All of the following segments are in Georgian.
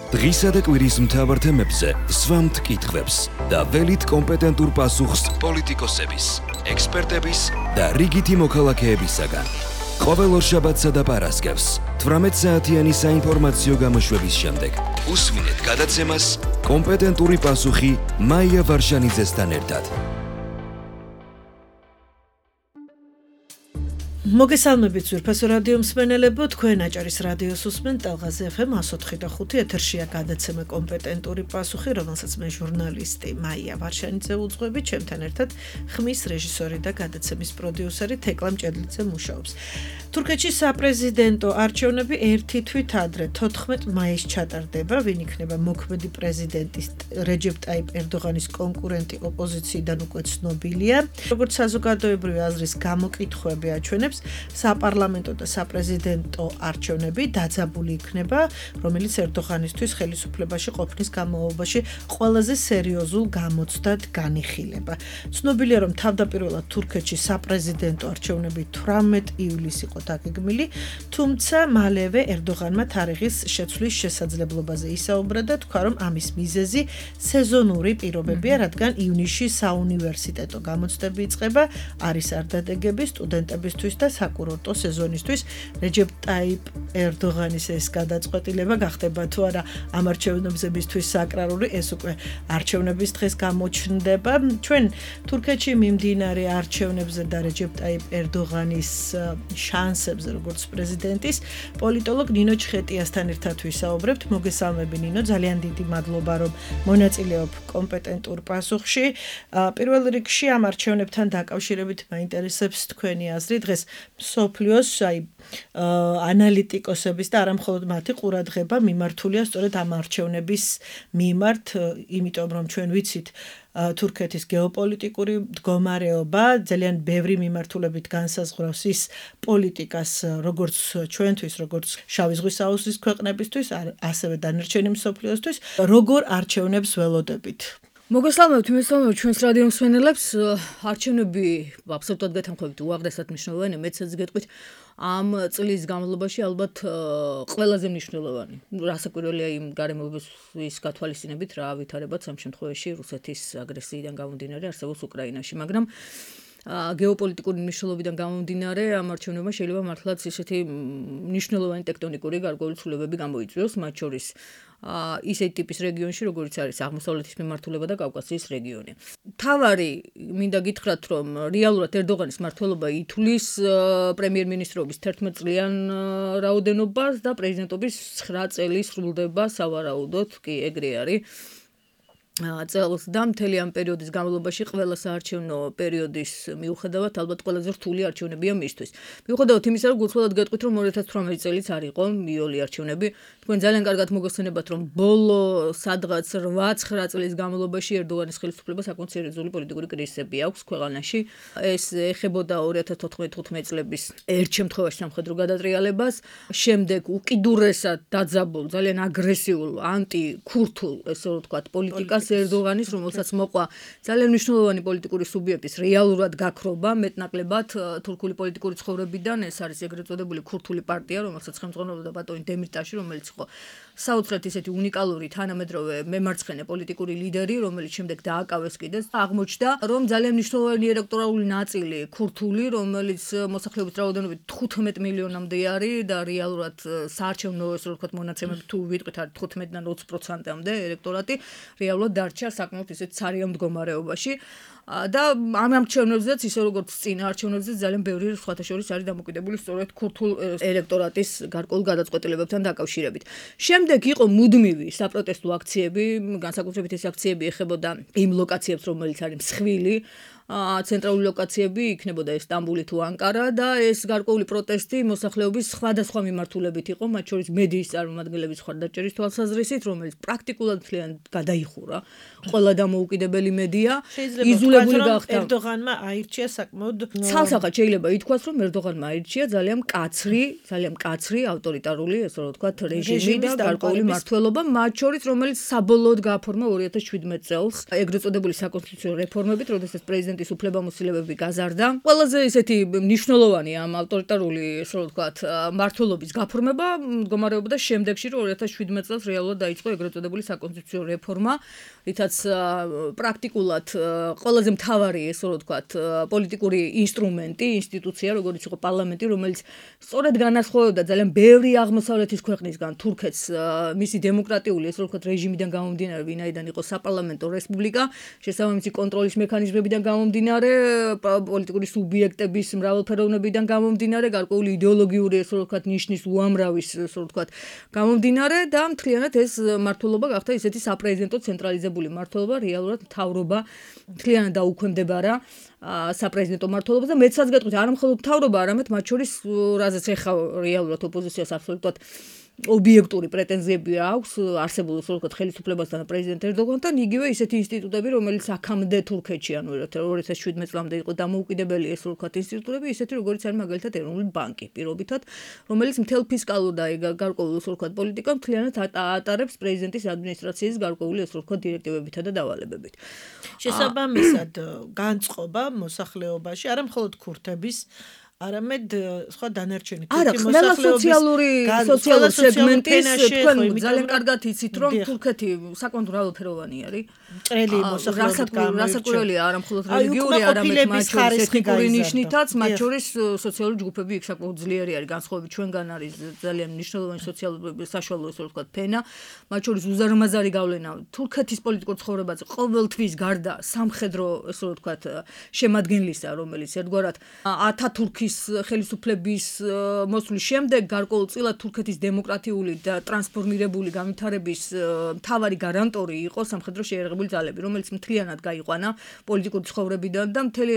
დღისა და კვირის მთავარ თემებზე სვამთ კითხვებს და ველით კომპეტენტურ პასუხს პოლიტიკოსების, ექსპერტების და რიგითი მოქალაქეებისაგან. ყოველ ორშაბათსა და პარასკევს 18 საათიანი საინფორმაციო გამოშვების შემდეგ უსმინეთ გადაცემას კომპეტენტური პასუხი მაია ვარშანიძესთან ერთად. მოგესალმებით ძვირფასო რადიო მსმენელებო, თქვენ აჭარის რადიოს უსმენთ ტალღაზე FM 104.5 ეთერშია გადაცემა კომპეტენტური პასუხი, რომელსაც მე ჟურნალისტი მაია ვარშანიძე უძღვები, ჩემთან ერთად ხმის რეჟისორი და გადაცემის პროდიუსერი თეკლა მჭედლიძე მუშაობს. თურქეთში საპრეზიდენტო არჩევნები ერთი თვით ადრე 14 მაისს ჩატარდება, ვინ იქნება მოქმედი პრეზიდენტის რეჯეპ ტაიპ ერდოღანის კონკურენტი ოპოზიციიდან უკვე ცნობილია. როგორც საზოგადოებრივი აზრის გამოკითხვები აჩვენებს, საპარლამენტო და საპრეზიდენტო არჩევნები დაძაბული იქნება, რომელიც ერდოღანისთვის ხელისუფლებაში ყოფნის განმავლობაში ყველაზე სერიოზულ გამოცდად განიხილება. ცნობილია, რომ თავდაპირველად თურქეთში საპრეზიდენტო არჩევნები 18 ივლისს იყო დაგეგმილი, თუმცა მალევე ერდოღანმა თარიღის შეცვლის შესაძლებლობაზე ისაუბრა და თქვა, რომ ამის მიზეზი სეზონური პირობებია, რადგან ივნისში საუნივერსიტეტო გამოცდები იწყება, არის არდადეგები სტუდენტებისთვის და საკურორტო სეზონისთვის. რეჯეპ ტაიპ ერდოღანის ეს გადაწყვეტილება გახდება თუ არა ამ არჩევნებისთვის საკრალური, ეს უკვე არჩევნების დღეს გამოჩნდება. ჩვენ თურქეთში მიმდინარე არჩევნებზე და რეჯეპ ტაიპ ერდოღანის შანსებზე როგორც პრეზიდენტის პოლიტოლოგ ნინო ჩხეტიასთან ერთად ვისაუბრებთ. მოგესალმები ნინო, ძალიან დიდი მადლობა რომ მონაწილეობ კომპეტენტურ პასუხში. პირველ რიგში ამ არჩევნებთან დაკავშირებით მაინტერესებს თქვენი აზრი. დღეს მსოფლიოს ანალიტიკოსების და არა მხოლოდ მათი ყურადღება მიმართულია სწორედ ამ არჩევნების მიმართ, იმიტომ რომ ჩვენ ვიცით თურქეთის გეოპოლიტიკური მდგომარეობა ძალიან ბევრი მიმართულებით განსაზღვრავს ის პოლიტიკას, როგორც ჩვენთვის, როგორც შავი ზღვის აუზის ქვეყნებისთვის, ასევე დანარჩენი მსოფლიოსთვის, როგორ არჩევნებს ველოდებით. მოგესალმებით, ჩვენს რადიო მსმენელებს. არჩევნები აბსოლუტურად გეთანხმებით უაღრესად მნიშვნელოვანი, მეცაც გეტყვით, ამ წლის განმავლობაში ალბათ ყველაზე მნიშვნელოვანი. რასაკვირველია იმ გარემოების გათვალისწინებით, რა ავითარებაც ამ შემთხვევაში რუსეთის აგრესიიდან გამომდინარე არსებობს უკრაინაში, მაგრამ გეოპოლიტიკური მნიშვნელობიდან გამომდინარე ამ არჩევნებმა შეიძლება მართლაც ისეთი მნიშვნელოვანი ტექტონიკური გარკვეული ცვლილებები გამოიწვიოს, მათ შორის ისეთი ტიპის რეგიონში, როგორც არის აღმოსავლეთის მიმართულება და კავკასიის რეგიონი. თავარი მინდა გითხრათ, რომ რეალურად ერდოღანის მმართველობა ითვლის პრემიერ-მინისტრობის 11 წლიან რაოდენობას და პრეზიდენტობის 9 წელი სრულდება სავარაუდოდ, კი ეგრე არის. წელს და მთელი ამ პერიოდის განმავლობაში ყველა საარჩევნო პერიოდის მიუხედავად ალბათ ყველაზე რთული არჩევნებია მისთვის. მიუხედავად იმისა, რომ გულწრფელად გეტყვით, რომ 2018 წელიც არ იყო მიოლი არჩევნები, თქვენ ძალიან კარგად მოგეხსენებათ, რომ ბოლო სადღაც 8-9 წლის განმავლობაში ერდოღანის ხელისუფლებას საკმაოდ სერიოზული პოლიტიკური კრიზისები აქვს ქვეყანაში. ეს ეხებოდა 2014-15 წლების ერთ შემთხვევაში სამხედრო გადატრიალებას, შემდეგ უკიდურესად დაძაბულ, ძალიან აგრესიულ ანტიქურთულ, ესე რომ ვთქვათ, პოლიტიკას ერდოღანის, რომელსაც მოყვა ძალიან მნიშვნელოვანი პოლიტიკური სუბიექტის რეალურად გაქრობა, მეტნაკლებად თურქული პოლიტიკური ცხოვრებიდან. ეს არის ეგრეთ წოდებული ქურთული პარტია, რომელსაც ხელმძღვანელობდა ბატონი დემირტაში, რომელიც იყო საოცრად ისეთი უნიკალური თანამედროვე მემარცხენე პოლიტიკური ლიდერი, რომელიც შემდეგ დააკავეს კიდეც. აღმოჩნდა, რომ ძალიან მნიშვნელოვანი ელექტორალური ნაწილი ქურთული, რომელიც მოსახლეობის რაოდენობით 15 მილიონამდე არის და რეალურად საარჩევნო, ესე რომ ვთქვათ, მონაცემები თუ ვიტყვით, არის 15-დან 20%-მდე ელექტორატი, რეალურად დარჩა საკმაოდ ისეთ ცარიელ მდგომარეობაში. და ამ არჩევნებზეც ისე როგორც წინა არჩევნებზეც ძალიან ბევრი სხვათა შორის არის დამოკიდებული სწორედ ქურთულ ელექტორატის გარკვეულ გადაწყვეტილებებთან დაკავშირებით. შემდეგ იყო მუდმივი საპროტესტო აქციები, განსაკუთრებით ეს აქციები ეხებოდა იმ ლოკაციებს, რომელიც არის მსხვილი, ცენტრალური ლოკაციები იქნებოდა სტამბული თუ ანკარა და ეს გარკვეული პროტესტი მოსახლეობის სხვადასხვა მიმართულებით იყო, მათ შორის მედიის წარმომადგენლების მხარდაჭერის თვალსაზრისით, რომელიც პრაქტიკულად მთლიანად გადაიხურა. ყველა დამოუკიდებელი მედია იზოლებული გახდა. ერდოღანმა აირჩია საკმაოდ ცალსახად შეიძლება ითქვას, რომ ერდოღანმა აირჩია ძალიან მკაცრი ავტორიტარული, ესე რომ ვთქვათ, რეჟიმი და გარკვეული მმართველობა, მათ შორის რომელიც საბოლოოდ გააფორმა 2017 წელს ეგრეთ წოდებული საკონსტიტუციო რეფორმებით, როდესაც პრეზიდენტი პრეზიდენტის უფლებამოსილებები გაზარდა. ყველაზე ისეთი მნიშვნელოვანი ამ ავტორიტარული, ასე ვთქვათ, მმართველობის გაფორმება მდგომარეობდა შემდეგში, რომ 2017 წელს რეალურად დაიწყო ეგრეთ წოდებული საკონსტიტუციო რეფორმა, რითაც პრაქტიკულად ყველაზე მთავარი, ასე ვთქვათ, პოლიტიკური ინსტრუმენტი, ინსტიტუცია, როგორც იყო პარლამენტი, რომელიც სწორედ განასხვავებდა ძალიან ბევრი აღმოსავლეთის ქვეყნისგან თურქეთს მისი დემოკრატიული, ასე ვთქვათ, რეჟიმიდან გამომდინარე, ვინაიდან იყო საპარლამენტო რესპუბლიკა, შესაბამისი კონტროლის მექანიზმებიდან გამომდინარე, პოლიტიკური სუბიექტების მრავალფეროვნებიდან გამომდინარე, გარკვეული იდეოლოგიური, ასე ვთქვათ, ნიშნის უამრავის, ასე ვთქვათ, გამომდინარე და მთლიანად ეს მმართველობა გახდა ისეთი საპრეზიდენტო ცენტრალიზებული მმართველობა, რეალურად მთავრობა მთლიანად დაუქვემდებარა საპრეზიდენტო მმართველობას და მეცაც გეტყვით, არა მხოლოდ მთავრობა, არამედ მათ შორის, რაზეც ეხა რეალურად ოპოზიციას აბსოლუტურად ობიექტური პრეტენზიები აქვს არსებულ სულკოთ ხელისუფლებასთან და პრეზიდენტ ერდოგანთან, იგივე ისეთი ინსტიტუტები, რომელიც აქამდე თურქეთში, ანუ 2017 წლამდე იყო დამოუკიდებელი ეს სულკოთ ინსტიტუტები, ისეთი როგორც არის მაგალითად ეროვნული ბანკი, პირობითად, რომელიც მთელ ფისკალურ და გარკვეულ სულკოთ პოლიტიკას მთლიანად ატარებს პრეზიდენტის ადმინისტრაციის გარკვეული ეს სულკოთ დირექტივებითა და დავალებებით. შესაბამისად, განწყობა მოსახლეობაში, არა მხოლოდ ქურთების არამედ სხვა დანარჩენი თურქი მოსახლეობის სოციალური სეგმენტის თქვენ ძალიან კარგად იცით რომ თურქეთი საკმაოდ მრავალფეროვანი არის. მჭრელი მოსახლეობის რასაკვირველია არა მხოლოდ რელიგიური, არამედ მათ შორის ეთნიკური ნიშნითაც, მათ შორის სოციალური ჯგუფები იქ საკმაოდ ძლიერი არის განსხვავებით ჩვენგან არის ძალიან მნიშვნელოვანი სოციალური საშუალო ესე ვთქვათ ფენა, მათ შორის უზარმაზარი გავლენა თურქეთის პოლიტიკურ ცხოვრებაზე ყოველთვის გარდა სამხედრო ესე ვთქვათ შემადგენლისა, რომელიც ერთგვარად ათათურქის ხელისუფლების მოსვლის შემდეგ გარკვეულწილად თურქეთის დემოკრატიული და ტრანსფორმირებული განვითარების მთავარი გარანტორი იყო სამხედრო შეიარაღებული ძალები, რომელიც მთლიანად გაიყვანა პოლიტიკური ცხოვრებიდან და მთელი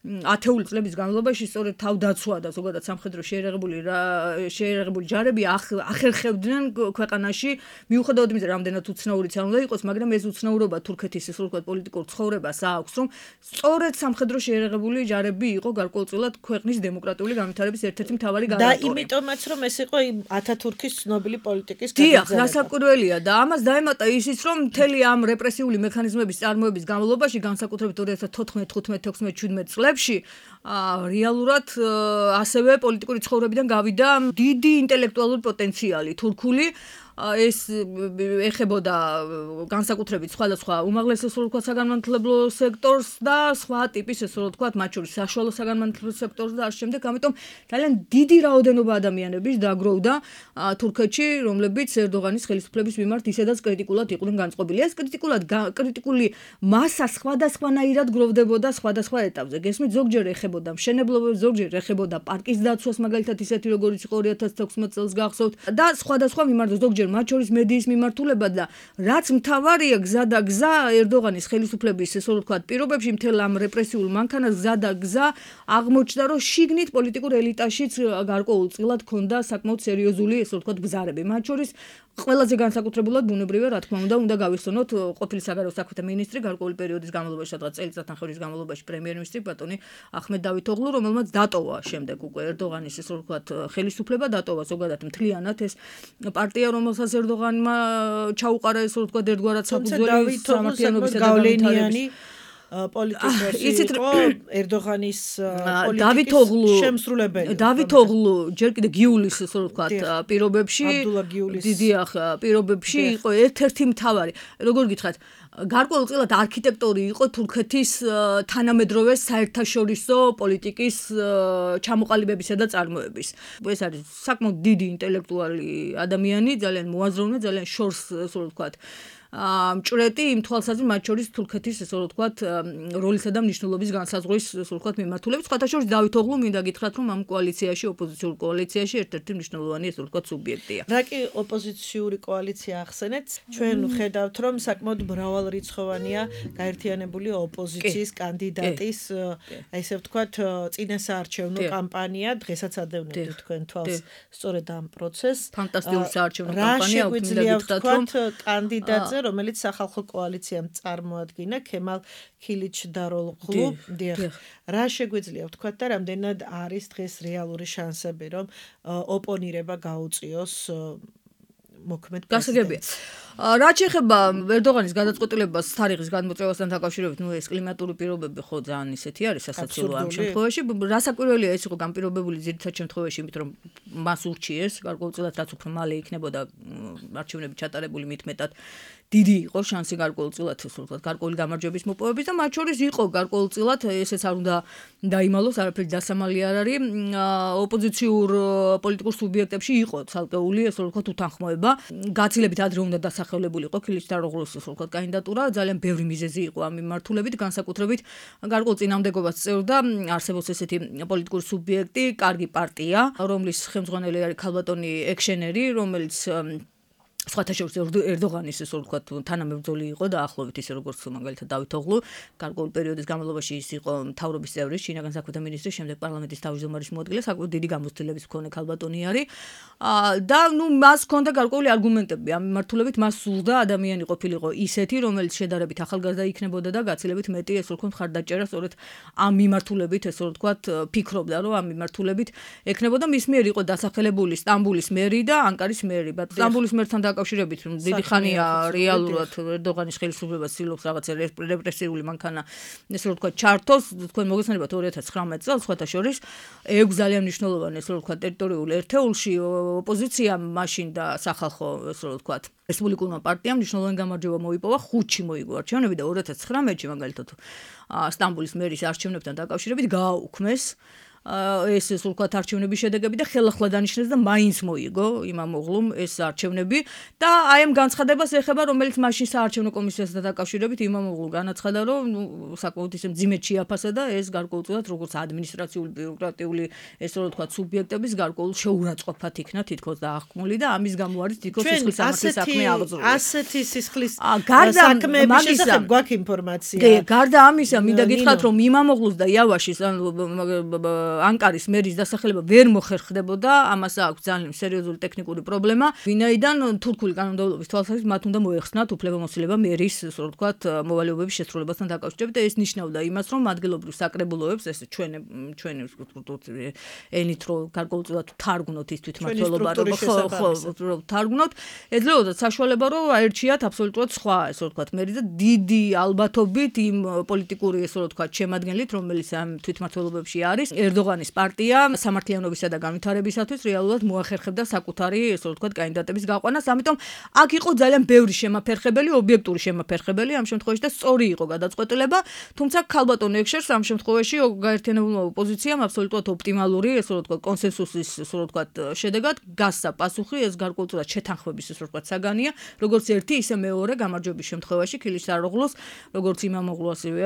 ათეული წლების განმავლობაში სწორედ თავდაცვა და ზოგადად სამხედრო შეიარაღებული ჯარები ახერხებდნენ ქვეყანაში, მიუხედავად იმისა, რამდენად უცნაურიც არ უნდა იყოს, მაგრამ ეს უცნაურობა თურქეთის ესე ვთქვათ პოლიტიკურ ცხოვრებას აქვს, რომ სწორედ სამხედრო შეიარაღებული ჯარები იყო გარკვეულწილად ქვეყნის დემოკრატიული განვითარების ერთ-ერთი მთავარი გარანტორი. და იმიტომაც რომ ეს იყო ათათურქის ცნობილი პოლიტიკის გაგრძელება. დიახ, რასაკვირველია და ამას დაემატა ისიც, რომ მთელი ამ რეპრესიული მექანიზმების წარმოების განმავლობაში, განსაკუთრებით 2014, 15, 16, 17 წლებში რეალურად ასევე პოლიტიკური ცხოვრებიდან გავიდა დიდი ინტელექტუალური პოტენციალი თურქული ეს ეხებოდა განსაკუთრებით სხვადასხვა უმაღლეს ესე ვთქვათ საგანმანათლებლო სექტორს და სხვა ტიპის ესე ვთქვათ მათ შორის საშუალო საგანმანათლებლო სექტორს და ამ შემდეგ ამიტომ ძალიან დიდი რაოდენობა ადამიანების დაგროვდა თურქეთში რომლებიც ერდოღანის ხელისუფლების მიმართ ისედაც კრიტიკულად იყვნენ განწყობილი ეს კრიტიკული მასა სხვადასხვანაირად გროვდებოდა სხვადასხვა ეტაპზე გესმით ზოგჯერ ეხებოდა მშენებლობებს ზოგჯერ ეხებოდა პარკის დაცვას მაგალითად ისეთი როგორც იყო 2016 წელს გახსოვთ და სხვადასხვა მიმართ ზოგჯერ მათ შორის მედიის მიმართულება და რაც მთავარია გზა და გზა ერდოღანის ხელისუფლების ესე ვთქვათ პირობებში მთელ ამ რეპრესიულ მანქანას გზა და გზა აღმოჩნდა რომ შიგნით პოლიტიკურ ელიტაშიც გარკვეულწილად ჰქონდა საკმაოდ სერიოზული ესე ვთქვათ ბზარები მათ შორის ყველაზე განსაკუთრებულად ბუნებრივია რა თქმა უნდა გავიხსენოთ ყოფილი საგარეო საქმეთა მინისტრი გარკვეული პერიოდის განმავლობაში სადღაც წელიწადნახევრის განმავლობაში პრემიერ-მინისტრი ბატონი ახმედ დავითოღლუ რომელმაც დატოვა შემდეგ უკვე ერდოღანის ესე ვთქვათ ხელისუფლება დატოვა ზოგადად მთლიანად ეს პარტია რომელსაც ერდოღანმა ჩაუყარა ესე ვთქვათ ერთგვარად საფუძველი სამართლიანობისა და განვითარების პოლიტიკოსი იყო ერდოღანის პოლიტიკის შემსრულებელი დავითოღლუ ჯერ კიდე გიულის ესე ვთქვათ პირობებში დიდიახ პირობებში იყო ერთ-ერთი მთავარი როგორ გითხრათ გარკვეულწილად არქიტექტორი იყო თურქეთის თანამედროვე საერთაშორისო პოლიტიკის ჩამოყალიბებისა და წარმოების. ეს არის საკმაოდ დიდი ინტელექტუალი ადამიანი, ძალიან მოაზროვნე, ძალიან შორს ასე ვთქვათ. მჭრეტი იმ თვალსაზრისით მათ შორის თურქეთის ესე ვთქვათ როლისა და მნიშვნელობის განსაზღვრის ესე ვთქვათ მიმართულებით სხვათა შორის დავითოღლუ მინდა გითხრათ რომ ამ კოალიციაში ოპოზიციურ კოალიციაში ერთ-ერთი მნიშვნელოვანი ესე ვთქვათ სუბიექტია. რა კი ოპოზიციური კოალიცია ახსენეთ ჩვენ ხედავთ რომ საკმაოდ მრავალრიცხოვანია გაერთიანებული ოპოზიციის კანდიდატის ესე ვთქვათ წინასაარჩევნო კამპანია დღესაც ადევნებთ თქვენ თვალს სწორედ ამ პროცესს ფანტასტიკური საარჩევნო კამპანია მინდა გითხრათ რომ კანდიდატზე რომელიც სახალხო კოალიციამ წარმოადგინა ქემალ ქილიჩდაროღლუ რა შეგვიძლია ვთქვათ და რამდენად არის დღეს რეალური შანსები რომ ოპონირება გაუწიოს მოქმედ პრეზიდენტს რაც შეეხება ერდოღანის გადაწყვეტილებას თარიღის გადმოწევასთან დაკავშირებით, ეს კლიმატური პირობები ხო ძალიან ისეთი არის სასაცილო ამ შემთხვევაში. რასაკვირველია ეს იყო განპირობებული ძირითად შემთხვევაში, იმიტომ რომ მას ურჩიეს გარკვეულწილად რაც უფრო მალე იქნებოდა არჩევნები ჩატარებული, მით მეტად დიდი იყო შანსი გარკვეულწილად გარკვეული გამარჯვების მოპოვების და მათ შორის იყო გარკვეულწილად ესეც არ უნდა დაიმალოს, არაფერი დასამალი არ არის. ოპოზიციურ პოლიტიკურ სუბიექტებში იყო ცალკეული ესე ვთქვათ უთანხმოება. გაცილებით ადრე უნდა დასახელებულიყო ქილისთაროღლუს ესე ვთქვათ კანდიდატურა, ძალიან ბევრი მიზეზი იყო ამ მიმართულებით, განსაკუთრებით გარკვეულ წინამდებობას წერდა არსებობს ესეთი პოლიტიკური სუბიექტი, კარგი პარტია, რომლის ხელმძღვანელი არის ქალბატონი ექშენერი, რომელიც სხვათა შორის ერდოღანის ესე ვთქვათ თანამებრძოლი იყო და ახლობით ისე როგორც მაგალითად დავით ოღლუ გარკვეულ პერიოდის განმავლობაში ის იყო მთავრობის წევრი, შინაგან საქმეთა მინისტრი, შემდეგ პარლამენტის თავმჯდომარის მოადგილე, საკუთარ დიდი გამოცდილების მქონე ქალბატონი არის და მას ჰქონდა გარკვეული არგუმენტები ამ მიმართულებით, მას სურდა ადამიანი ყოფილიყო ისეთი, რომელიც შედარებით ახალგაზრდა იქნებოდა და გაცილებით მეტი ესე ვთქვათ მხარდაჭერა სწორედ ამ მიმართულებით ესე ვთქვათ ფიქრობდა, რომ ამ მიმართულებით ექნებოდა. მის მიერ იყო დასახელებული სტამბოლის მერი და ანკარის მერი. სტამბოლის მერთან დაკავშირებით დიდი ხანია რეალურად ერდოღანის ხელისუფლებას ცდილობს რაღაცა რეპრესიული მანქანა ესე ვთქვათ ჩართოს. თქვენ მოგესალმებათ 2019 წელს სხვათა შორის 6 ძალიან მნიშვნელოვანი ესე ვთქვათ ტერიტორიულ ერთეულში ოპოზიციამ მაშინ და სახალხო ესე ვთქვათ რესპუბლიკურმა პარტიამ მნიშვნელოვანი გამარჯვება მოიპოვა, 5-ში მოიგო არჩევნები და 2019-ში მაგალითად სტამბოლის მერის არჩევნებთან დაკავშირებით გააუქმეს ეს ვთქვათ არჩევნების შედეგები და ხელახლა დანიშნეს და მაინც მოიგო იმამოღლუმ ეს არჩევნები და აი ამ განცხადებას ეხება, რომელიც მაშინ საარჩევნო კომისიასთან დაკავშირებით იმამოღლუ განაცხადა, რომ საკმაოდ ისე მძიმედ შეაფასა და ეს გარკვეულწილად როგორც ადმინისტრაციული ბიუროკრატიული ესე ვთქვათ სუბიექტების გარკვეულ შეურაცხყოფად იქნა თითქოს დაახკმული და ამის გამო არის თითქოს სისხლის სამართლის საქმე აღძრული. ასეთი სისხლის საქმეების შესახებ გვაქვს ინფორმაცია. გარდა ამისა, მინდა გითხრათ, რომ იმამოღლუს და იავაშის ანკარის მერის დასახელება ვერ მოხერხდებოდა, ამას აქვს ძალიან სერიოზული ტექნიკური პრობლემა, ვინაიდან თურქული კანონმდებლობის თვალსაზრისით მათ უნდა მოეხსნათ უფლებამოსილება მერის, ასე ვთქვათ, მოვალეობების შესრულებასთან დაკავშირებით და ეს ნიშნავდა იმას, რომ ადგილობრივ საკრებულოებს, ეს ჩვენი ენით რო გარკვეულწილად თარგმნოთ ის თვითმმართველობა, რომ თარგმნოთ, ეძლეოდათ საშუალება, რომ აერჩიათ აბსოლუტურად სხვა, ასე ვთქვათ, მერი და დიდი ალბათობით იმ პოლიტიკური, ასე ვთქვათ, შემადგენლით, რომელიც ამ თვითმმართველობებში არის, ერდოღანის პარტია სამართლიანობისა და განვითარებისათვის რეალურად მოახერხებდა საკუთარი, ესე ვთქვათ, კანდიდატების გაყვანას. ამიტომ აქ იყო ძალიან ბევრი შემაფერხებელი, ობიექტური შემაფერხებელი ამ შემთხვევაში და სწორი იყო გადაწყვეტილება, თუმცა ქალბატონ ექშერს ამ შემთხვევაში გაერთიანებულმა ოპოზიციამ აბსოლუტურად ოპტიმალური, ესე ვთქვათ, კონსენსუსის, ესე ვთქვათ, შედეგად გასცა პასუხი, ეს გარკვეულწილად შეთანხმების, ესე ვთქვათ, საგანია, როგორც ერთი, ისე მეორე გამარჯვების შემთხვევაში ქილისთაროღლუს, როგორც იმამოღლუ, ასევე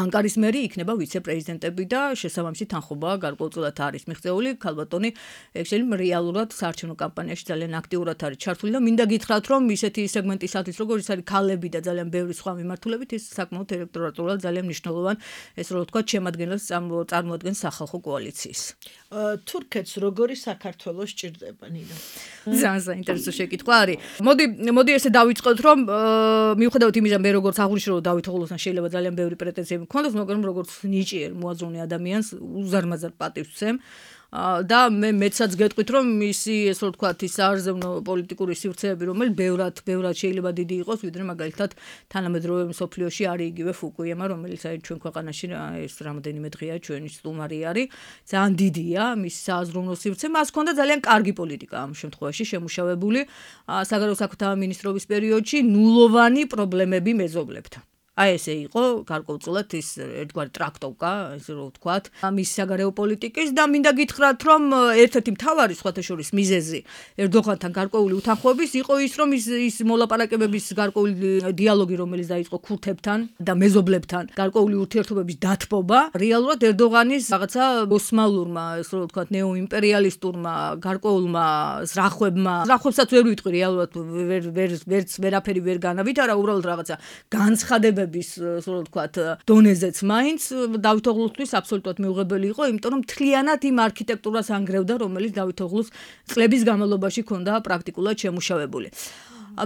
ანკარის მერი იქნება ვიცე-პრეზიდენტები და შესაბამისი თანხმობა გარკვეულწილად არის მიღწეული. ქალბატონი ექშენი რეალურად საარჩევნო კამპანიაში ძალიან აქტიურად არის ჩართული და მინდა გითხრათ, რომ ისეთი სეგმენტისათვის, როგორც არის ქალები და ძალიან ბევრი სხვა მიმართულებით, ის საკმაოდ ელექტორატულად ძალიან მნიშვნელოვან, ესე ვთქვათ, შემადგენლებს წარმოადგენს სახალხო კოალიციის. თურქეთს როგორი საქართველოს სჭირდება, ნინო? ძალიან საინტერესო შეკითხვა არის. მოდი ესე დავიწყოთ, რომ მიუხედავად იმისა, მე როგორც აღვნიშნე, რომ დავით ოღლუსთან შეიძლება ძალიან ბევრი პრეტენზიები მქონდეს, მაგრამ როგორც ნიჭიერ მოაზროვნე ადამიანს უზარმაზარ პატივს ვცემ და მე მეცაც გეტყვით, რომ მისი ესე ვთქვათ, ის საარზევნო პოლიტიკური სივრცეები, რომელიც ბევრად შეიძლება დიდი იყოს, ვიდრე მაგალითად თანამედროვე მსოფლიოში არის იგივე ფუკუიამა, რომელიც აი ჩვენ ქვეყანაში ეს რამოდენიმე დღეა ჩვენი სტუმარი არის, ძალიან დიდია მისი სააზროვნო სივრცე, მას ჰქონდა ძალიან კარგი პოლიტიკა ამ შემთხვევაში შემუშავებული საგარეო საქმეთა მინისტრობის პერიოდში, ნულოვანი პრობლემები მეზობლებთან. აი ესე იყო გარკვეულწილად ის ერთგვარი ტრაქტოვკა, ესე რომ ვთქვათ, მის საგარეო პოლიტიკის და მინდა გითხრათ, რომ ერთ-ერთი მთავარი სხვათა შორის მიზეზი ერდოღანთან გარკვეული უთანხმოების იყო ის, რომ ის მოლაპარაკებების გარკვეული დიალოგი, რომელიც დაიწყო ქურთებთან და მეზობლებთან, გარკვეული ურთიერთობების დათბობა, რეალურად ერდოღანის რაღაცა ოსმალურმა, ესე რომ ვთქვათ, ნეოიმპერიალისტურმა, გარკვეულმა ზრახვებსაც ვერ ვიტყვი რეალურად ვერაფერი ვერ განავითარა, უბრალოდ რაღაცა განცხადება ასე ვთქვათ, დონეზეც მაინც დავით ოღლუსთვის აბსოლუტურად მიუღებელი იყო, იმიტომ რომ მთლიანად იმ არქიტექტურას ანგრევდა, რომელიც დავით ოღლუს წლების განმავლობაში ჰქონდა პრაქტიკულად შემუშავებული.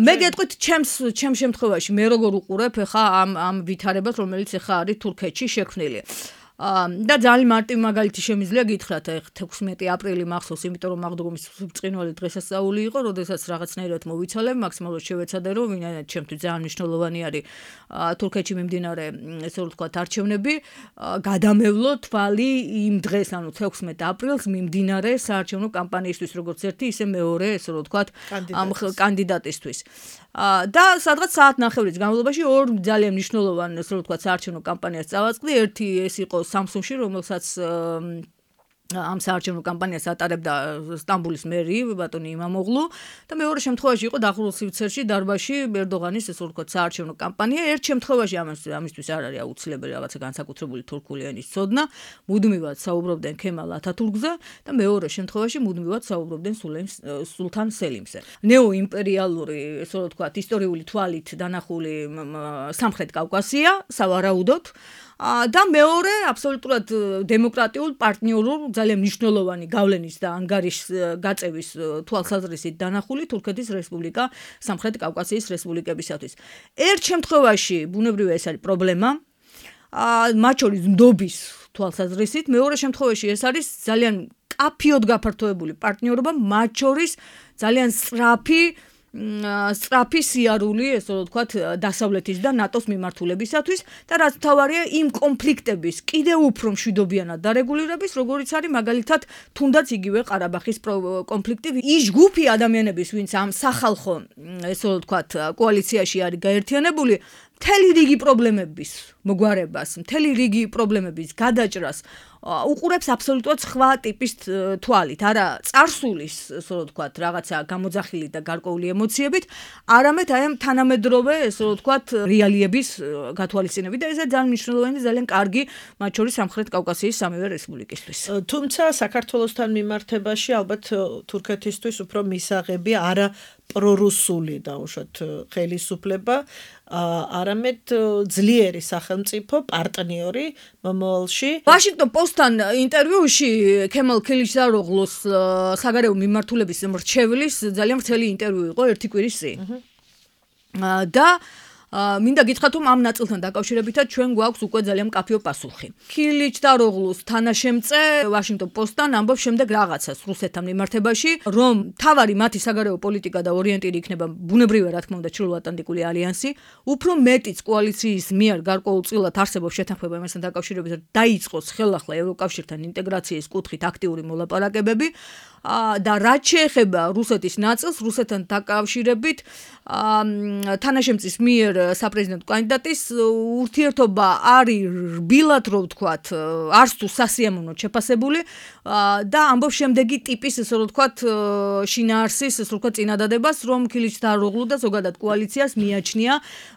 მე გეტყვით, ჩემს შემთხვევაში მე როგორ უყურებ ახლა ამ ვითარებას, რომელიც ახლა არის თურქეთში შექმნილი. და ძალიან მარტივ მაგალითი შემიძლია გითხრათ, 16 აპრილი მახსოვს, იმიტომ რომ აღდგომის ბრწყინვალე დღესასწაული იყო, როდესაც რაღაცნაირად მოვიცალებ, მაქსიმალურად შევეცადე, რომ ვინაიდან ჩემთვის ძალიან მნიშვნელოვანი არის თურქეთში მიმდინარე, ესე რომ ვთქვათ, არჩევნები, გადამევლო თვალი იმ დღეს, ანუ 16 აპრილს მიმდინარე საარჩევნო კამპანიისთვის, როგორც ერთი, ისე მეორე, ესე რომ ვთქვათ, ამ კანდიდატისთვის. და სადღაც საათნახევრის განმავლობაში ორ ძალიან მნიშვნელოვან, ესე რომ ვთქვათ, საარჩევნო კამპანიას წავაწყდი. ერთი ეს იყო Samsung-ში, რომელსაც ამ საარჩევნო კამპანიას ატარებდა სტამბოლის მერი ბატონი იმამოღლუ და მეორე შემთხვევაში იყო დახურულ სივრცეში დარბაზში ერდოღანის ესე ვთქვათ საარჩევნო კამპანია. ერთ შემთხვევაში ამისთვის არ არის აუცილებელი რაღაცა განსაკუთრებული თურქული ენის ცოდნა, მუდმივად საუბრობდნენ ქემალ ათათურქზე და მეორე შემთხვევაში მუდმივად საუბრობდნენ სულთან სელიმზე. ნეოიმპერიალური ესე ვთქვათ ისტორიული თვალით დანახული სამხრეთ კავკასია სავარაუდოდ და მეორე აბსოლუტურად დემოკრატიულ პარტნიორულ ძალიან მნიშვნელოვანი გავლენის და ანგარიშ გაწევის თვალსაზრისით დანახული თურქეთის რესპუბლიკა სამხრეთ კავკასიის რესპუბლიკებისათვის. ერთ შემთხვევაში ბუნებრივია ეს არის პრობლემა, მათ შორის ნდობის თვალსაზრისით, მეორე შემთხვევაში ეს არის ძალიან კაფიოდ გაფართოებული პარტნიორობა, მათ შორის ძალიან სწრაფი სიარული, ესე ვთქვათ, დასავლეთის და ნატოს მიმართულებისათვის და რაც თავარია იმ კონფლიქტების კიდევ უფრო მშვიდობიანად დარეგულირების, როგორიც არის მაგალითად თუნდაც იგივე ყარაბაღის კონფლიქტი. ის ჯგუფი ადამიანების, ვინც ამ სახალხო, ესე ვთქვათ, კოალიციაში არის გაერთიანებული, მთელი რიგი პრობლემების მოგვარებას, მთელი რიგი პრობლემების გადაჭრას უყურებს აბსოლუტურად სხვა ტიპის თვალით, არა წარსულის, ასე ვთქვათ, რაღაცა გამოძახილი და გარკვეული ემოციებით, არამედ აი ამ თანამედროვე, ესე ვთქვათ, რეალიების გათვალისწინებით და ეს ძალიან მნიშვნელოვანი და ძალიან კარგი, მათ შორის სამხრეთ კავკასიის სამივე რესპუბლიკისთვის. თუმცა საქართველოსთან მიმართებაში ალბათ თურქეთისთვის უფრო მისაღები არა პრორუსული დაუშვათ ხელისუფლება, არამედ ძლიერი სახელმწიფო პარტნიორი მომავალში. Washington Post-თან ინტერვიუში ქემალ ქილიშდაროღლუს საგარეო მიმართულების მრჩევლის ძალიან ვრცელი ინტერვიუ იყო ერთი კვირის წინ. და მინდა გითხრათ, რომ ამ ნაწილთან დაკავშირებითაც ჩვენ გვაქვს უკვე ძალიან მკაფიო პასუხი. ქილიშდაროღლუს თანაშემწე Washington Post-თან ამბობს შემდეგ რაღაცას რუსეთთან მიმართებაში, რომ თავარი მათი საგარეო პოლიტიკა და ორიენტირი იქნება ბუნებრივია, რა თქმა უნდა, ჩრდილოატლანტიკური ალიანსი, უფრო მეტიც კოალიციის მიერ გარკვეულწილად არსებობს შეთანხმება იმასთან დაკავშირებით, რომ დაიწყოს ხელახლა ევროკავშირთან ინტეგრაციის კუთხით აქტიური მოლაპარაკებები. და რაც შეეხება რუსეთის ნაწილს, რუსეთთან დაკავშირებით, თანაშემწის მიერ საპრეზიდენტო კანდიდატის ურთიერთობა არის რბილად, რო ვთქვათ, არც თუ სასიამოვნოდ შეფასებული და ამბობს შემდეგი ტიპის, ესე რომ ვთქვათ, შინაარსის, ესე რომ ვთქვათ, წინადადებას, რომ ქილიშდაროღლუ და ზოგადად კოალიციას მიაჩნია,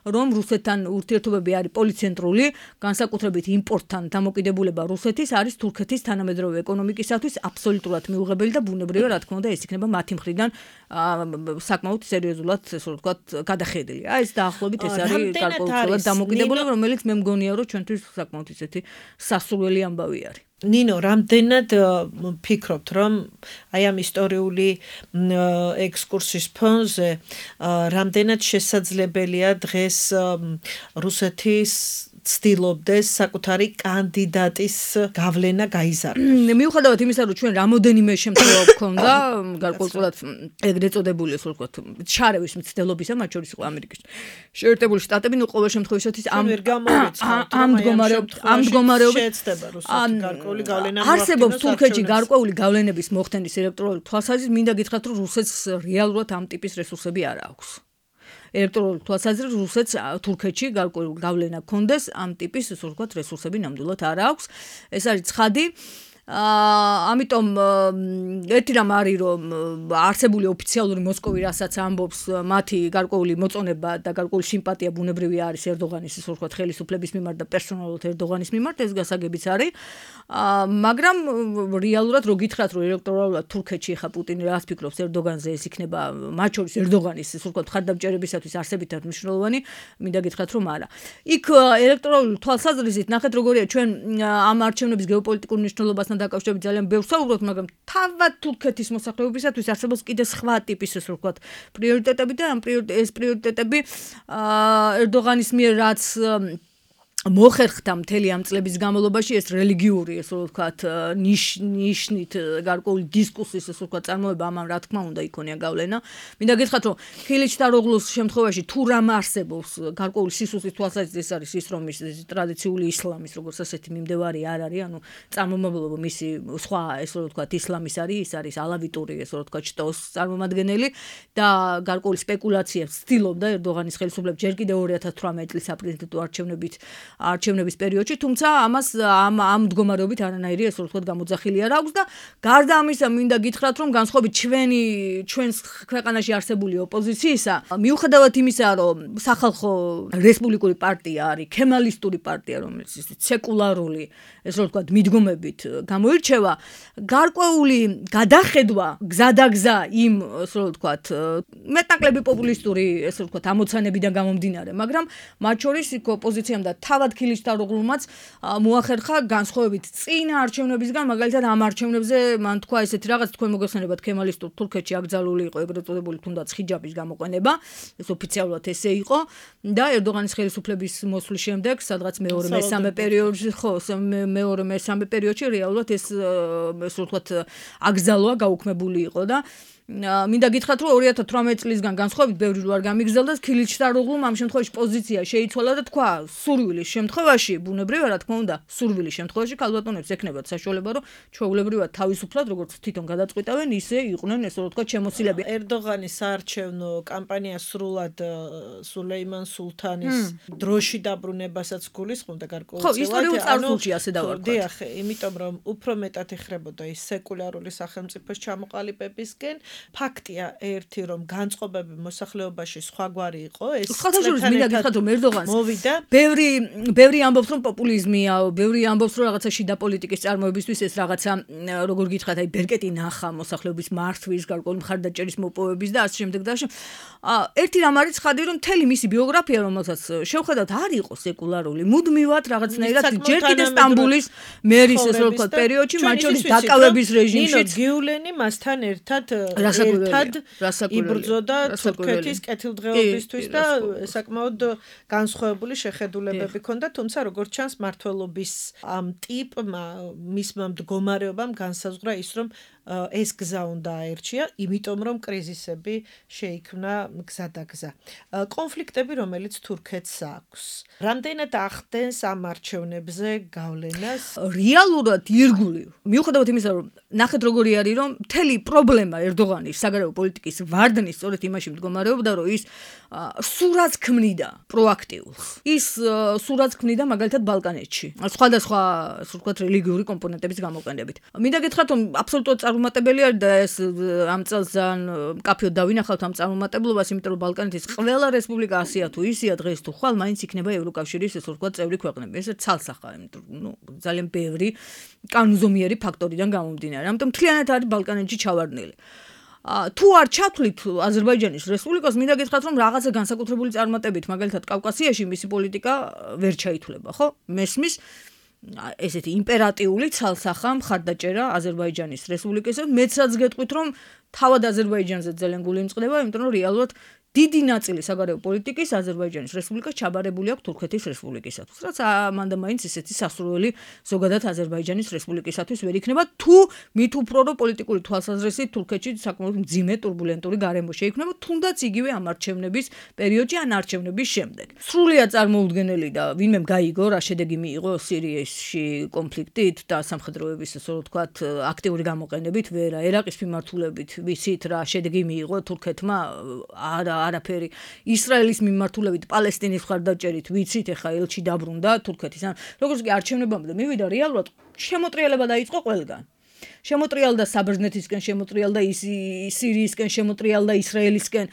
რომ რუსეთთან ურთიერთობები არის პოლიცენტრული, განსაკუთრებით იმპორტთან დამოკიდებულება რუსეთის არის თურქეთის თანამედროვე ეკონომიკისათვის აბსოლუტურად მიუღებელი და ბუნებრივია, რა თქმა უნდა, ეს იქნება მათი მხრიდან საკმაოდ სერიოზულად, ესე რომ ვთქვათ, გადახედილი. აი ეს დაახლოებით ეს არის გარკვეულწილად დამოკიდებულება, რომელიც მე მგონია, რომ ჩვენთვის საკმაოდ ისეთი სასურველი ამბავი არის. ნინო, რამდენად ფიქრობთ, რომ აი ამ ისტორიული ექსკურსის ფონზე რამდენად შესაძლებელია დღეს რუსეთის ცდილობდეს საკუთარი კანდიდატის გავლენა გაიზარდოს. მიუხედავად იმისა, რომ ჩვენ რამოდენიმე შემთხვევა გვქონდა, გარკვეულწილად ეგრეთ წოდებული, ასე ვთქვათ, ჩარევის მცდელობისა, მათ შორის იყო ამერიკის შეერთებული შტატები, ნუ ყოველ შემთხვევაში ამ მდგომარეობით შეეცდება რუსეთი გარკვეული გავლენა მოახდინოს. არსებობს თურქეთში გარკვეული გავლენების მოხდენის ელექტრონული თვალსაზრისით, მინდა გითხრათ, რომ რუსეთს რეალურად ამ ტიპის რესურსები არ აქვს. ელექტრონული თვალსაზრისით რუსეთს თურქეთში გარკვეული გავლენა გქონდეს, ამ ტიპის, ასე ვთქვათ, რესურსები ნამდვილად არ აქვს. ეს არის ცხადი. ამიტომ ერთი რამ არის, რომ არსებული ოფიციალური მოსკოვი, რასაც ამბობს, მათი გარკვეული მოწონება და გარკვეული სიმპათია ბუნებრივია არის ერდოღანის, ასე ვთქვათ, ხელისუფლების მიმართ და პერსონალურად ერდოღანის მიმართ, ეს გასაგებიც არის. მაგრამ რეალურად რო გითხრათ, რომ ელექტორალურად თურქეთში ხა პუტინი რას ფიქრობს ერდოღანზე, ეს იქნება მათ შორის ერდოღანის, ასე ვთქვათ, მხარდამჭერებისათვის არსებითად მნიშვნელოვანი, მინდა გითხრათ, რომ არა. იქ ელექტორალური თვალსაზრისით ნახეთ, როგორია ჩვენ ამ არჩევნების გეოპოლიტიკურ მნიშვნელობასთან დაკავშირებით ძალიან ბევრს ვსაუბრობთ, მაგრამ თავად თურქეთის მოსახლეობისათვის არსებობს კიდე სხვა ტიპის, ასე ვთქვათ, პრიორიტეტები და ეს პრიორიტეტები ერდოღანის მიერ რაც მოხერხდა მთელი ამ წლების განმავლობაში ეს რელიგიური, ესე რომ ვთქვათ, ნიშნით გარკვეული დისკუსიის, ესე ვთქვათ, წარმოება ამან რა თქმა უნდა იქონია გავლენა. მინდა გითხრათ, რომ ხილიჩდაროღლუს შემთხვევაში თუ რამ არსებობს გარკვეული სისუსის თვალსაზრისით, ეს არის ის, რომ ის ტრადიციული ისლამის როგორც ასეთი მიმდევარი არ არის, ანუ წარმომავლობა მისი სხვა, ესე რომ ვთქვათ, ისლამის არის, ის არის ალავიტური, ესე რომ ვთქვათ, შტოს წარმომადგენელი და გარკვეული სპეკულაციებს ცდილობდა ერდოღანის ხელისუფლება ჯერ კიდევ 2018 წლის საპრეზიდენტო არჩევნების პერიოდში, თუმცა ამას ამ მდგომარეობით არანაირი ესე ვთქვათ გამოძახილი არ აქვს და გარდა ამისა მინდა გითხრათ, რომ განსხვავებით ჩვენს ქვეყანაში არსებული ოპოზიციისა, მიუხედავად იმისა, რომ სახალხო რესპუბლიკური პარტია არის ქემალისტური პარტია, რომელიც სეკულარული ესე ვთქვათ მიდგომებით გამოირჩევა, გარკვეული გადახედვა გზადაგზა იმ ესე ვთქვათ მეტნაკლები პოპულისტური ესე ვთქვათ ამოცანებიდან გამომდინარე, მაგრამ მათ შორის იქ ოპოზიციამ და თავად ხილიჩდაროღლუმაც მოახერხა განსხვავებით წინა არჩევნებისგან, მაგალითად ამ არჩევნებზე მან თქვა ესეთი რაღაც, თქვენ მოგეხსენებათ ქემალისტურ თურქეთში აკრძალული იყო ეგრეთ წოდებული თუნდაც ხიჯაბის გამოყენება, ეს ოფიციალურად ესე იყო და ერდოღანის ხელისუფლების მოსვლის შემდეგ, სადღაც მეორე-მესამე პერიოდში, ხო, მეორე-მესამე პერიოდში რეალურად ეს ესე ვთქვათ აკრძალვა გაუქმებული იყო და მინდა გითხრათ, რომ 2018 წლისგან განსხვავებით ბევრი რო არ გამიგზელდა, ხილიჩდაროღლუმ ამ შემთხვევაში პოზიცია შეიცვალა და თქვა, სურვილის შემთხვევაში, ბუნებრივია, რა თქმა უნდა, სურვილის შემთხვევაში ქალბატონებს ექნებათ საშუალება, რომ ჩვეულებრივად თავისუფლად, როგორც თვითონ გადაწყვიტავენ, ისე იყვნენ, ესე რომ ვთქვათ, შემოსილები. ერდოღანის საარჩევნო კამპანია სრულად სულეიმან სულთანის დროში დაბრუნებასაც გულისხმობდა გარკვეულ ხო, ისტორიულ წარსულში ასე დავარქვათ. დიახ, იმიტომ რომ უფრო მეტად ეხრებოდა ის სეკულარული სახელმწიფოს ჩამოყალიბებისკენ. ფაქტია ერთი, რომ განწყობები მოსახლეობაში სხვაგვარი იყო, ეს ხათაშორის მინდა გითხრათ, რომ ერდოღანს მოვიდა. ბევრი ამბობს, რომ პოპულიზმია, ბევრი ამბობს, რომ რაღაცა შიდა პოლიტიკის წარმოებისთვის ეს რაღაცა, როგორ გითხრათ, აი ბერკეტი ნახა მოსახლეობის მართვის, გარკვეული მხარდაჭერის მოპოვების და ასე შემდეგ და ერთი რამ არის ცხადი, რომ მთელი მისი ბიოგრაფია, რომელსაც შევხედავთ, არ იყო სეკულარული. მუდმივად რაღაცნაირად ჯერ კიდევ სტამბოლის მერის ესე რომ ვთქვათ პერიოდში, მათ შორის დაკავების რეჟიმშიც გიულენი მასთან ერთად იბრძოდა თურქეთის კეთილდღეობისთვის და საკმაოდ განსხვავებული შეხედულებები ჰქონდა, თუმცა როგორც ჩანს მმართველობის ამ ტიპმა, მისმა მდგომარეობამ განსაზღვრა ის, რომ ეს გზა უნდა აერჩია, იმიტომ რომ კრიზისები შეიქმნა გზადაგზა. კონფლიქტები, რომელიც თურქეთს აქვს. რამდენად ახდენს ამ არჩევნებზე გავლენას? რეალურად ირგვლივ. მიუხედავად იმისა, რომ ნახეთ როგორი არის, რომ მთელი პრობლემა ერდოღანის საგარეო პოლიტიკის ვარდნის სწორედ იმაში მდგომარეობდა, რომ ის სურათს ქმნიდა პროაქტიულს. ის სურათს ქმნიდა მაგალითად ბალკანეთში. სხვადასხვა, ასე ვთქვათ, რელიგიური კომპონენტების გამოყენებით. მინდა გითხრათ, რომ აბსოლუტურად წარმატებელი არის და ეს ამ წელს ძალიან მკაფიოდ დავინახავთ ამ წარმატებლობას, იმიტომ რომ ბალკანეთის ყველა რესპუბლიკა ასეა თუ ისეა დღეს თუ ხვალ მაინც იქნება ევროკავშირის ესე ვთქვათ წევრი ქვეყნები. ეს ცალსახაა, იმიტომ რომ ძალიან ბევრი კანონზომიერი ფაქტორიდან გამომდინარე. ამიტომ მთლიანად არის ბალკანეთში ჩავარდნილი. თუ არ ჩათვლით აზერბაიჯანის რესპუბლიკას, მინდა გითხრათ, რომ რაღაცა განსაკუთრებული წარმატებით, მაგალითად კავკასიაში მისი პოლიტიკა ვერ ჩაითვლება, ხო? მესმის ესეთი იმპერატიული ცალსახა მხარდაჭერა აზერბაიჯანის რესპუბლიკისა. მეცაც გეტყვით, რომ თავად აზერბაიჯანზე ძალიან გული იმწყდება, იმიტომ რომ რეალურად დიდი ნაწილი საგარეო პოლიტიკის აზერბაიჯანის რესპუბლიკას ჩაბარებული აქვს თურქეთის რესპუბლიკისათვის. რაც ამან და მაინც ესეთი სასურველი ზოგადად აზერბაიჯანის რესპუბლიკისათვის ვერ იქნება, თუ მით უფრო რომ პოლიტიკური თვალსაზრისით თურქეთში საკმაოდ მძიმე турბულენტური გარემო შეიქმნება, თუნდაც იგივე ამ არჩევნების პერიოდში ან არჩევნების შემდეგ. სრულიად წარმოუდგენელი და ვინმე გაიგო რა შედეგი მიიღო სირიაში კონფლიქტით და სამხედროების ასე ვთქვათ აქტიური გამოყენებით, ვერა ერაყის მიმართულებით, ვიცით რა შედეგი მიიღო თურქეთმა არაფერი ისრაელის მიმართულებით პალესტინის მხარდაჭერით ვიცით ეხა ელჩი დაბრუნდა თურქეთის ან როგორც კი არჩევნებამდე მივიდა რეალურად შემოტრიალება დაიწყო ყველგან შემოტრიალდა საბერძნეთისკენ შემოტრიალდა სირიისკენ შემოტრიალდა ისრაელისკენ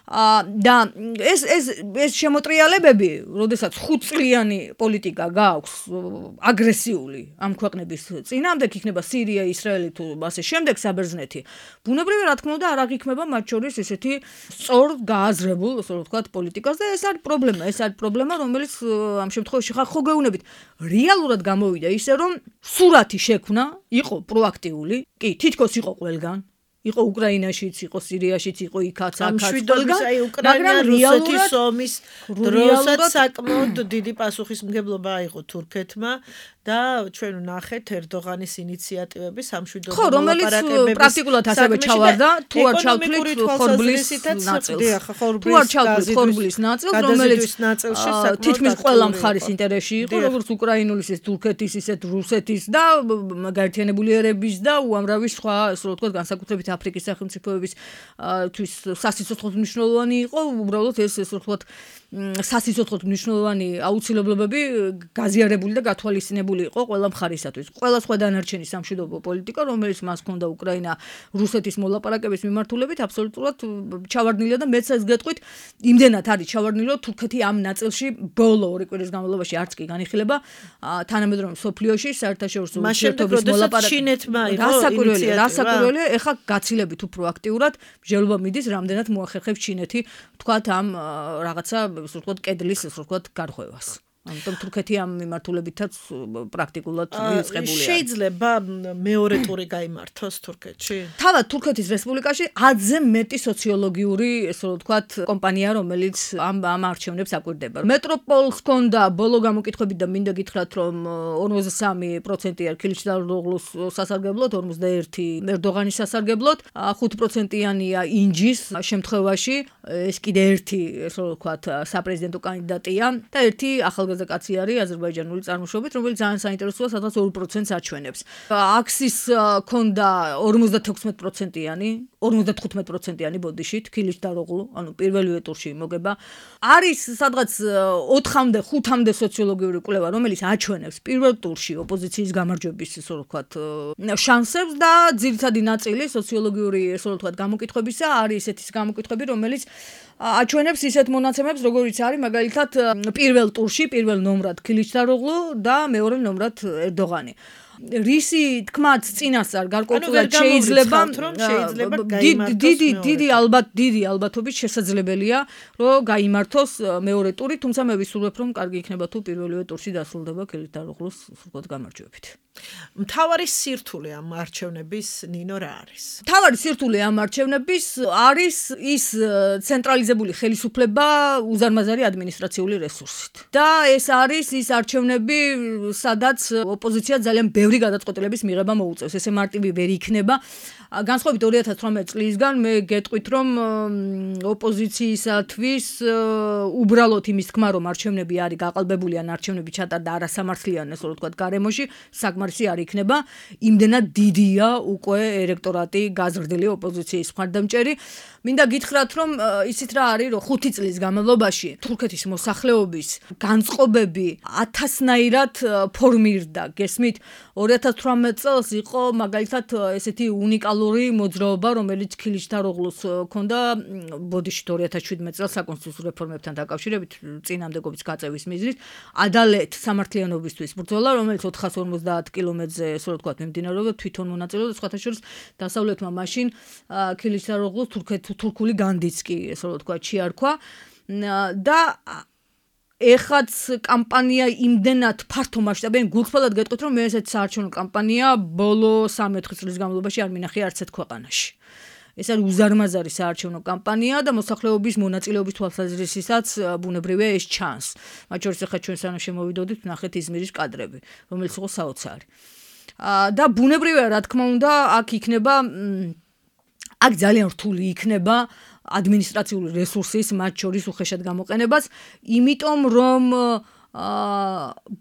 და ეს შემოტრიალებები, როდესაც 5 წლიანი პოლიტიკა გააქვს აგრესიული ამ ქვეყნების წინამდე, იქნება სირია, ისრაელი თუ ასე შემდეგ საბერძნეთი. ბუნებრივია, რა თქმა უნდა, არ აღიქმება მათ შორის ესეთი სწორ გააზრებულ, ასე ვთქვათ, პოლიტიკას და ეს არის პრობლემა, რომელიც ამ შემთხვევაში ხო გეუბნებით, რეალურად გამოვიდა ისე, რომ სურათი შექმნა, იყო პროაქტიული, კი, თითქოს იყო ყველგან. იყო უკრაინაშიც, იყო სირიაშიც, იყო იქაც, აქაც, მშვიდობის აი უკრაინა რუსეთის ომის დროსაც საკმაოდ დიდი პასუხისმგებლობა აიღო თურქეთმა და ჩვენ ვნახეთ ერდოღანის ინიციატივები სამშვიდობო მოლაპარაკებების პრაქტიკულად ასევე ჩავარდა თუ არ ჩავთვლით ხორბლის ნაწილს. თუ არ ჩავთვლით ხორბლის ნაწილს, რომელიც თითქმის ყველა მხარის ინტერესში იყო, როგორც უკრაინულის, ისე თურქეთის, ისე რუსეთის და გაერთიანებული ერების და უამრავი სხვა, ასე ვთქვათ, განსაკუთრებით აფრიკის სახელმწიფოების თვის სასიცოცხლოდ მნიშვნელოვანი იყო, უბრალოდ ეს ვთქვათ სასიცოცხლოდ მნიშვნელოვანი აუცილებლობები გაზიარებული და გათვალისწინებული იყო ყველა მხარისათვის. ყველა სხვა დანარჩენი სამშვიდობო პოლიტიკა, რომელიც მას ჰქონდა უკრაინა რუსეთის მოლაპარაკების მიმართულებით, აბსოლუტურად ჩავარდნილია და მეც ეს გეტყვით, იმდენად არის ჩავარდნილი, რომ თურქეთი ამ ნაწილში ბოლო 2 კვირის განმავლობაში არც კი განიხილება თანამედროვე მსოფლიოში საერთაშორისო ურთიერთობის მოლაპარაკებებს. რასაკვირველია, ეხლა გაცილებით უფრო აქტიურად მსჯელობა მიდის, რამდენად მოახერხებს ჩინეთი, თქვათ ამ რაღაცა, ასე ვთქვათ, კედლის, ასე ვთქვათ, გარღვევას. ამიტომ თურქეთი ამ მიმართულებითაც პრაქტიკულად მიუწყებულია. შეიძლება მეორე ტური გაიმართოს თურქეთში? თავად თურქეთის რესპუბლიკაში ათზე მეტი სოციოლოგიური, ასე ვთქვათ, კომპანია, რომელიც ამ არჩევნებს აკვირდება. მეტროპოლს ჰქონდა ბოლო გამოკითხვებით და მინდა გითხრათ, რომ 43% ქილიშდაროღლუს სასარგებლოდ, 41 ერდოღანის სასარგებლოდ, 5%-იანია ინჯის შემთხვევაში, ეს კიდე ერთი, ასე ვთქვათ, საპრეზიდენტო კანდიდატია და ერთი ახალგაზრდა კაცი არის აზერბაიჯანული წარმოშობით, რომელიც ძალიან საინტერესოა, სადღაც 2%-ს აჩვენებს. აქსის ქონდა 56%-იანი, 55%-იანი ბოდიშით, ქილიშდაროღლუ, ანუ პირველივე ტურში მოგება. არის სადღაც 4-მდე, 5-მდე სოციოლოგიური კვლევა, რომელიც აჩვენებს პირველ ტურში ოპოზიციის გამარჯვების, ასე ვთქვათ, შანსებს და ძირითადი ნაწილი სოციოლოგიური, ასე ვთქვათ, გამოკითხვებისა არის ესეთი გამოკითხვები, რომელიც აჩვენებს ისეთ მონაცემებს, როგორიც არის მაგალითად პირველ ტურში, პირველ ნომრად ქილიშდაროღლუ და მეორე ნომრად ერდოღანი. რისი თქმაც წინასწარ გარკვეულად შეიძლება დიდი ალბათობით შესაძლებელია, რომ გაიმართოს მეორე ტური, თუმცა მე ვისურვებ, რომ კარგი იქნება თუ პირველივე ტურში დასრულდება ქილიშდაროღლუს ვთქვათ გამარჯვებით. მთავარი სირთულე ამ არჩევნების ნინო რა არის? მთავარი სირთულე ამ არჩევნების არის ის ცენტრალიზებული ხელისუფლება უზარმაზარი ადმინისტრაციული რესურსით. და ეს არის ის არჩევნები, სადაც ოპოზიცია ძალიან ბევრი გადაწყვეტილების მიღება მოუწევს. ესე მარტივი ვერ იქნება. განსხვავებით 2018 წლისგან მე გეტყვით, რომ ოპოზიციისათვის უბრალოდ იმის თქმა, რომ არჩევნები არის გაყალბებული ან არჩევნები ჩატარდა არასამართლიან, ასე ვთქვათ, გარემოში, საკმარისი არ იქნება. იმდენად დიდია უკვე ელექტორატი გაზრდილი ოპოზიციის მხარდამჭერი. მინდა გითხრათ, რომ ისიც რა არის, რომ 5 წლის განმავლობაში თურქეთის მოსახლეობის განწყობები 1000-ნაირად ფორმირდა. გესმით, 2018 წელს იყო მაგალითად ესეთი უნიკალური მოძრაობა, რომელიც ქილიშდაროღლუს ჰქონდა ბოდიშით 2017 წელს საკონსტიტუციო რეფორმებთან დაკავშირებით წინამდებობის გაწევის მიზნით ადალეთ სამართლიანობისთვის ბრძოლა, რომელიც 450 კილომეტრზე, ასე ვთქვათ, მიმდინარეობდა, თვითონ მონაწილეობდა, სხვათა შორის დასავლეთმა მაშინ ქილიშდაროღლუს თურქული განდიც კი, ასე ვთქვათ, შეარქვა და ეხაც კამპანია იმდენად ფართო მასშტაბიანი, გულწრფელად გეტყვით, რომ მე ესეთი საარჩევნო კამპანია ბოლო 3-4 წლის განმავლობაში არ მინახია არც ერთ ქვეყანაში. ეს არის უზარმაზარი საარჩევნო კამპანია და მოსახლეობის მონაწილეობის თვალსაზრისითაც ბუნებრივია ეს ჩანს. მათ შორის ახლა ჩვენ სანამ შემოვიდოდით, ნახეთ იზმირის კადრები, რომელიც იყო საოცარი. და ბუნებრივია, რა თქმა უნდა, აქ იქნება აქ ძალიან რთული იქნება ადმინისტრაციული რესურსის, მათ შორის უხეშად გამოყენებას, იმიტომ რომ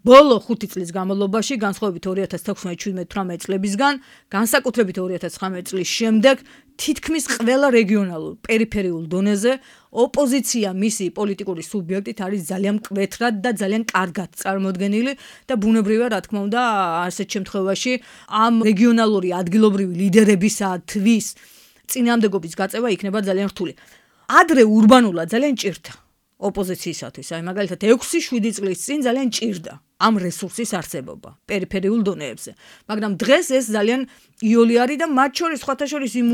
ბოლო 5 წლის განმავლობაში, განსხვავებით 2016-17-18 წლებისგან, განსაკუთრებით 2019 წლის შემდეგ, თითქმის ყველა რეგიონალურ, პერიფერიულ დონეზე ოპოზიცია მისი პოლიტიკური სუბიექტით არის ძალიან მკვეთრად და ძალიან კარგად წარმოდგენილი და ბუნებრივია, რა თქმა უნდა, ასეთ შემთხვევაში ამ რეგიონალური ადგილობრივი ლიდერებისათვის წინამდებობის გაწევა იქნება ძალიან რთული. ადრე ურბანულად ძალიან ჭირდა ოპოზიციისათვის. აი მაგალითად 6-7 წლის წინ ძალიან ჭირდა. ამ რესურსის არსებობა პერიფერიულ დონეებზე. მაგრამ დღეს ეს ძალიან იოლი არის და მათ შორის სხვათა შორის იმ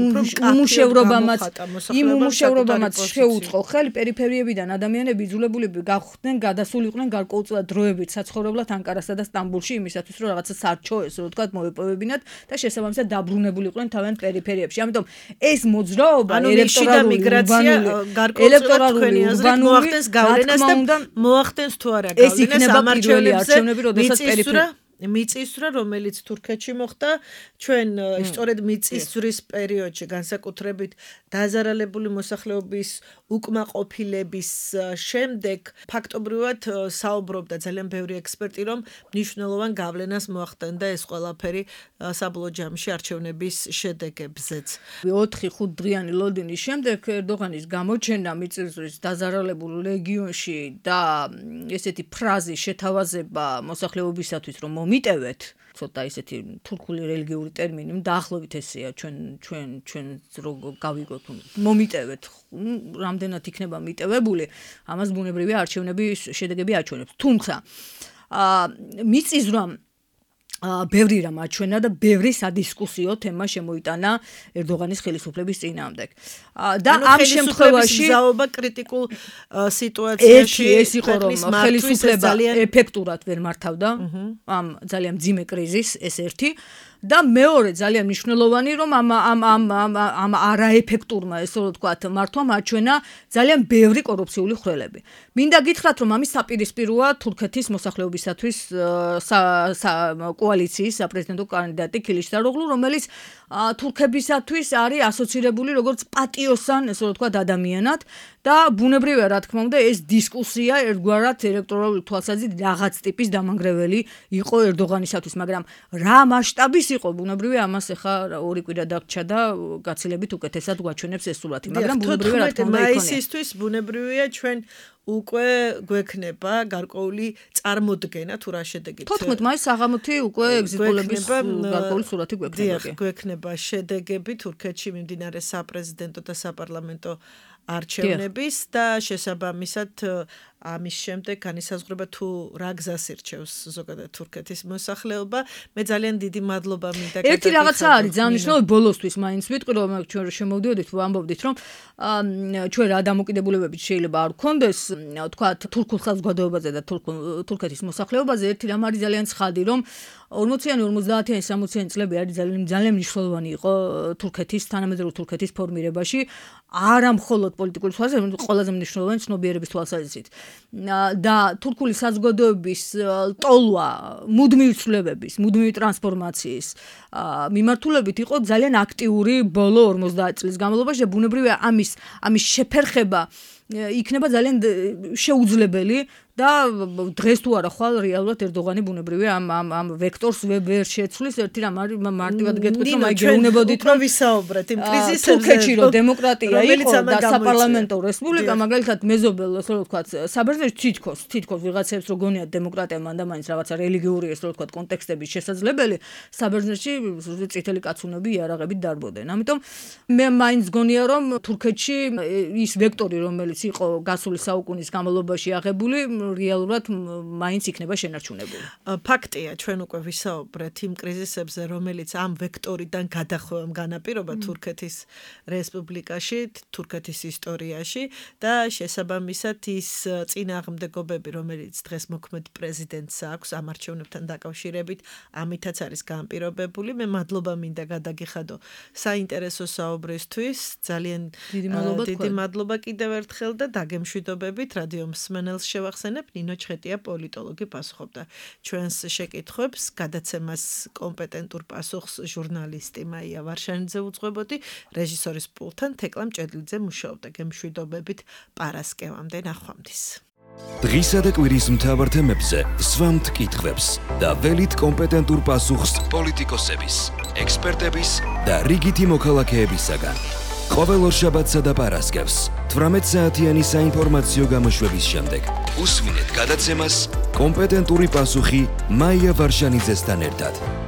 უმუშევრობამაც შეუწყო ხელი პერიფერიებიდან ადამიანები იძულებულები გახდნენ გადასულიყვნენ გარკვეულწილად დროებით საცხოვრებლად ანკარასა და სტამბოლში იმისათვის რომ რაღაცა სარჩო ესე რომ ვთქვათ მოეპოვებინათ და შესაბამისად დაბრუნებულიყვნენ თავიანთ პერიფერიებში. ამიტომ ეს მოძრაობა ელექტორალური მოახდენს გავლენას და მოახდენს თუ არა გავლენას ამარჩევნებზე როდესაც მიწისძვრა რომელიც თურქეთში მოხდა ჩვენ სწორედ მიწისძვრის პერიოდში განსაკუთრებით დაზარალებული მოსახლეობის უკმაყოფილების შემდეგ ფაქტობრივად საუბრობდა ძალიან ბევრი ექსპერტი რომ მნიშვნელოვან გავლენას მოახდენდა ეს ყველაფერი საბოლოო ჯამში არჩევნების შედეგებზეც. 4-5 დღიანი ლოდინის შემდეგ ერდოღანის გამოჩენა მიწისძვრის დაზარალებულ რეგიონში და ესეთი ფრაზის შეთავაზება მოსახლეობისათვის რომ მომიტევეთ ცოტა ისეთი თურქული რელიგიური ტერმინი დაახლოებით ესეა ჩვენ გავიგოთ მომიტევეთ რამდენად იქნება მიტევებული ამას ბუნებრივია არჩევნების შედეგები აჩვენებს თუმცა მიწისძვრამ ბევრი რამ აჩვენა და ბევრი სადისკუსიო თემა შემოიტანა ერდოღანის ხელისუფლების წინააღმდეგ. და ამ შემთხვევაში ზაობა კრიტიკულ სიტუაციაში ეს იყო რომ ხელისუფლება ეფექტურად ვერ მართავდა ამ ძალიან მძიმე კრიზისს ეს ერთი და მეორე ძალიან მნიშვნელოვანი რომ ამ არაეფექტურმა ესე რომ ვთქვათ მართვამ აჩვენა ძალიან ბევრი კორუფციული ხვრელები. მინდა გითხრათ რომ ამის საპირისპიროა თურქეთის მოსახლეობისათვის კოალიციის საპრეზიდენტო კანდიდატი ქილიშდაროღლუ რომელიც თურქებისათვის არის ასოცირებული როგორც პატიოსან ესე რომ ვთქვათ ადამიანად და ბუნებრივია რა თქმა უნდა ეს დისკუსია ერთგვარად ელექტორალური თვალსაზრისით რაღაც ტიპის დამანგრეველი იყო ერდოღანისათვის მაგრამ რა მასშტაბის იყო ბუნებრივია ამას ახლა ორი კვირა დაგჭა და გაცილებით უკეთესად გვაჩვენებს ეს სურათი მაგრამ ბუნებრივია რა თქმა უნდა მაისისთვის ბუნებრივია ჩვენ უკვე გვექნება გარკვეული წარმოდგენა თუ რა შედეგით 14 მაისს საღამოთი უკვე ეგზიტ-პოლების გარკვეული სურათი გვექნება შედეგები თურქეთში მიმდინარე საპრეზიდენტო და საპარლამენტო არჩევნების და შესაბამისად ამის შემდეგ განისაზღვრება თუ რა გზას ირჩევს ზოგადად თურქეთის მოსახლეობა. მე ძალიან დიდი მადლობა მინდა გაკეთებინათ. ერთი რაღაცა არის ძალიან მნიშვნელოვანი ბოლოსთვის მაინც ვიტყვი რომ ჩვენ შემოვდიოდით ვამბობდით რომ ჩვენ რა დამოკიდებულებებით შეიძლება არ გქონდეს თქვათ თურქულ საზოგადოებაზე და თურქეთის მოსახლეობაზე ერთი რამ არის ძალიან ცხადი რომ 40-იანი 50-იანი 60-იანი წლები არის ძალიან მნიშვნელოვანი იყო თურქეთის თანამედროვე თურქეთის ფორმირებაში არა მხოლოდ პოლიტიკური თვალსაზრისით, ყველაზე მნიშვნელოვანი ცნობიერების თვალსაზრისით. და თურქული საზოგადოების ტოლვა, მუდმივი ცვლილებების, მუდმივი ტრანსფორმაციის მიმართულებით იყო ძალიან აქტიური ბოლო 50 წლის განმავლობაში და ბუნებრივია ამის შეფერხება იქნება ძალიან შეუძლებელი და დღეს თუ არა ხვალ რეალურად ერდოღანი ბუნებრივია ამ ვექტორს ვერ შეცვლის ერთი რამ არის მარტივად გეტყვით რომ აი გეუბნებოდით რომ ვისაუბრეთ იმ კრიზისებზე თურქეთში რომ დემოკრატია იყო და საპარლამენტო რესპუბლიკა მაგალითად მეზობელ ასე რომ ვთქვათ საბერძნეთში თითქოს ვიღაცებს რო გონიათ დემოკრატია მანდამაინც რაღაცა რელიგიური ასე რომ ვთქვათ კონტექსტების შესაძლებელი საბერძნეთში წითელი კაცუნები იარაღებით დარბოდნენ ამიტომ მე მაინც გონია რომ თურქეთში ის ვექტორი რომელიც იყო გასული საუკუნის განმავლობაში აღებული რეალურად მაინც იქნება შენარჩუნებული. ფაქტია, ჩვენ უკვე ვისაუბრეთ იმ კრიზისებზე, რომელიც ამ ვექტორიდან გადახვევამ განაპირობა თურქეთის რესპუბლიკაში, თურქეთის ისტორიაში და შესაბამისად ის წინააღმდეგობები, რომელიც დღეს მოქმედ პრეზიდენტს აქვს ამ არჩევნებთან დაკავშირებით, ამითაც არის განპირობებული. მე მადლობა მინდა გადაგიხადო საინტერესო საუბრისთვის. ძალიან დიდი მადლობა კიდევ ერთხელ და დაგემშვიდობებით რადიო მსმენელს შევახსენებ ნინო ჩხეტია პოლიტოლოგი პასუხობდა ჩვენს შეკითხვებს გადაცემას კომპეტენტურ პასუხს ჟურნალისტი მაია ვარშანიძე უძღვებოდი რეჟისორის პულტთან თეკლა მჭედლიძე მუშაობდა გემშვიდობებით პარასკევამდე ნახვამდის დღისა და კვირის მთავარ თემებზე სვამთ კითხვებს და ველით კომპეტენტურ პასუხს პოლიტიკოსების ექსპერტების და რიგითი მოქალაქეებისაგან ყოველ ორშაბათსა და პარასკევს 18 საათიანი საინფორმაციო გამოშვების შემდეგ უსმინეთ გადაცემას კომპეტენტური პასუხი მაია ვარშანიძესთან ერთად.